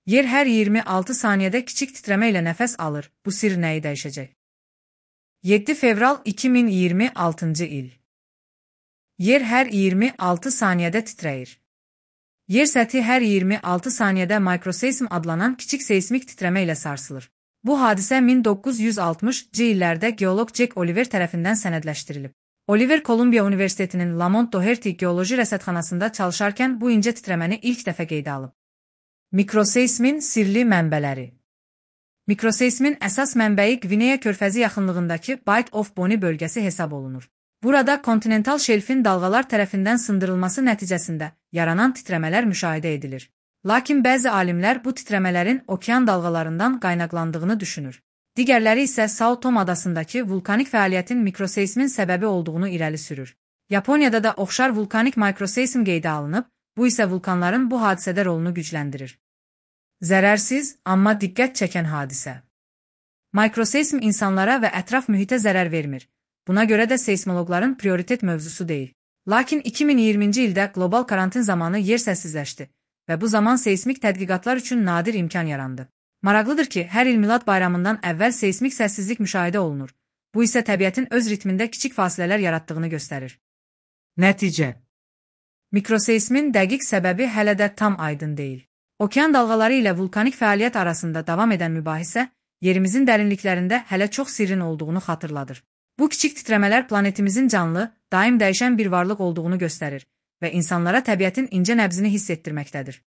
Yer hər 26 saniyədə kiçik titrəmə ilə nəfəs alır. Bu sir nəyi dəyişəcək? 7 fevral 2026 il. Yer hər 26 saniyədə titrəyir. Yer səthi hər 26 saniyədə mikroseysm adlanan kiçik seysmik titrəmə ilə sarsılır. Bu hadisə 1960-cı illərdə geoloq Jack Oliver tərəfindən sənədləşdirilib. Oliver Kolumbiya Universitetinin Lamont Doherty geoloji rəsədxanasında çalışarkən bu incə titrəməni ilk dəfə qeydə alıb. Mikroseysmin sirli mənbələri. Mikroseysmin əsas mənbəyi Qvineya körfəzi yaxınlığındakı Bight of Bonny bölgəsi hesab olunur. Burada kontinental şelfin dalğalar tərəfindən sındırılması nəticəsində yaranan titrəmələr müşahidə edilir. Lakin bəzi alimlər bu titrəmələrin okean dalğalarından qaynaqlandığını düşünür. Digərləri isə Sao Tome adasındakı vulkanik fəaliyyətin mikroseysmin səbəbi olduğunu irəli sürür. Yaponiyada da oxşar vulkanik mikroseysm qeydə alınıb, bu isə vulkanların bu hadisədə rolunu gücləndirir. Zərərsiz, amma diqqət çəkən hadisə. Mikroseysm insanlara və ətraf mühitə zərər vermir. Buna görə də seysmoloqların prioritet mövzusu deyil. Lakin 2020-ci ildə qlobal karantin zamanı yer səssizləşdi və bu zaman seysmik tədqiqatlar üçün nadir imkan yarandı. Maraqlıdır ki, hər il Milad bayramından əvvəl seysmik səssizlik müşahidə olunur. Bu isə təbiətin öz ritmində kiçik fasilələr yaratdığını göstərir. Nəticə. Mikroseysmin dəqiq səbəbi hələ də tam aydın deyil. Okean dalğaları ilə vulkanik fəaliyyət arasında davam edən mübahisə, yerimizin dərinliklərində hələ çox sirrin olduğunu xatırladır. Bu kiçik titrəmələr planetimizin canlı, daim dəyişən bir varlıq olduğunu göstərir və insanlara təbiətin incə nəbzini hiss etdirməkdədir.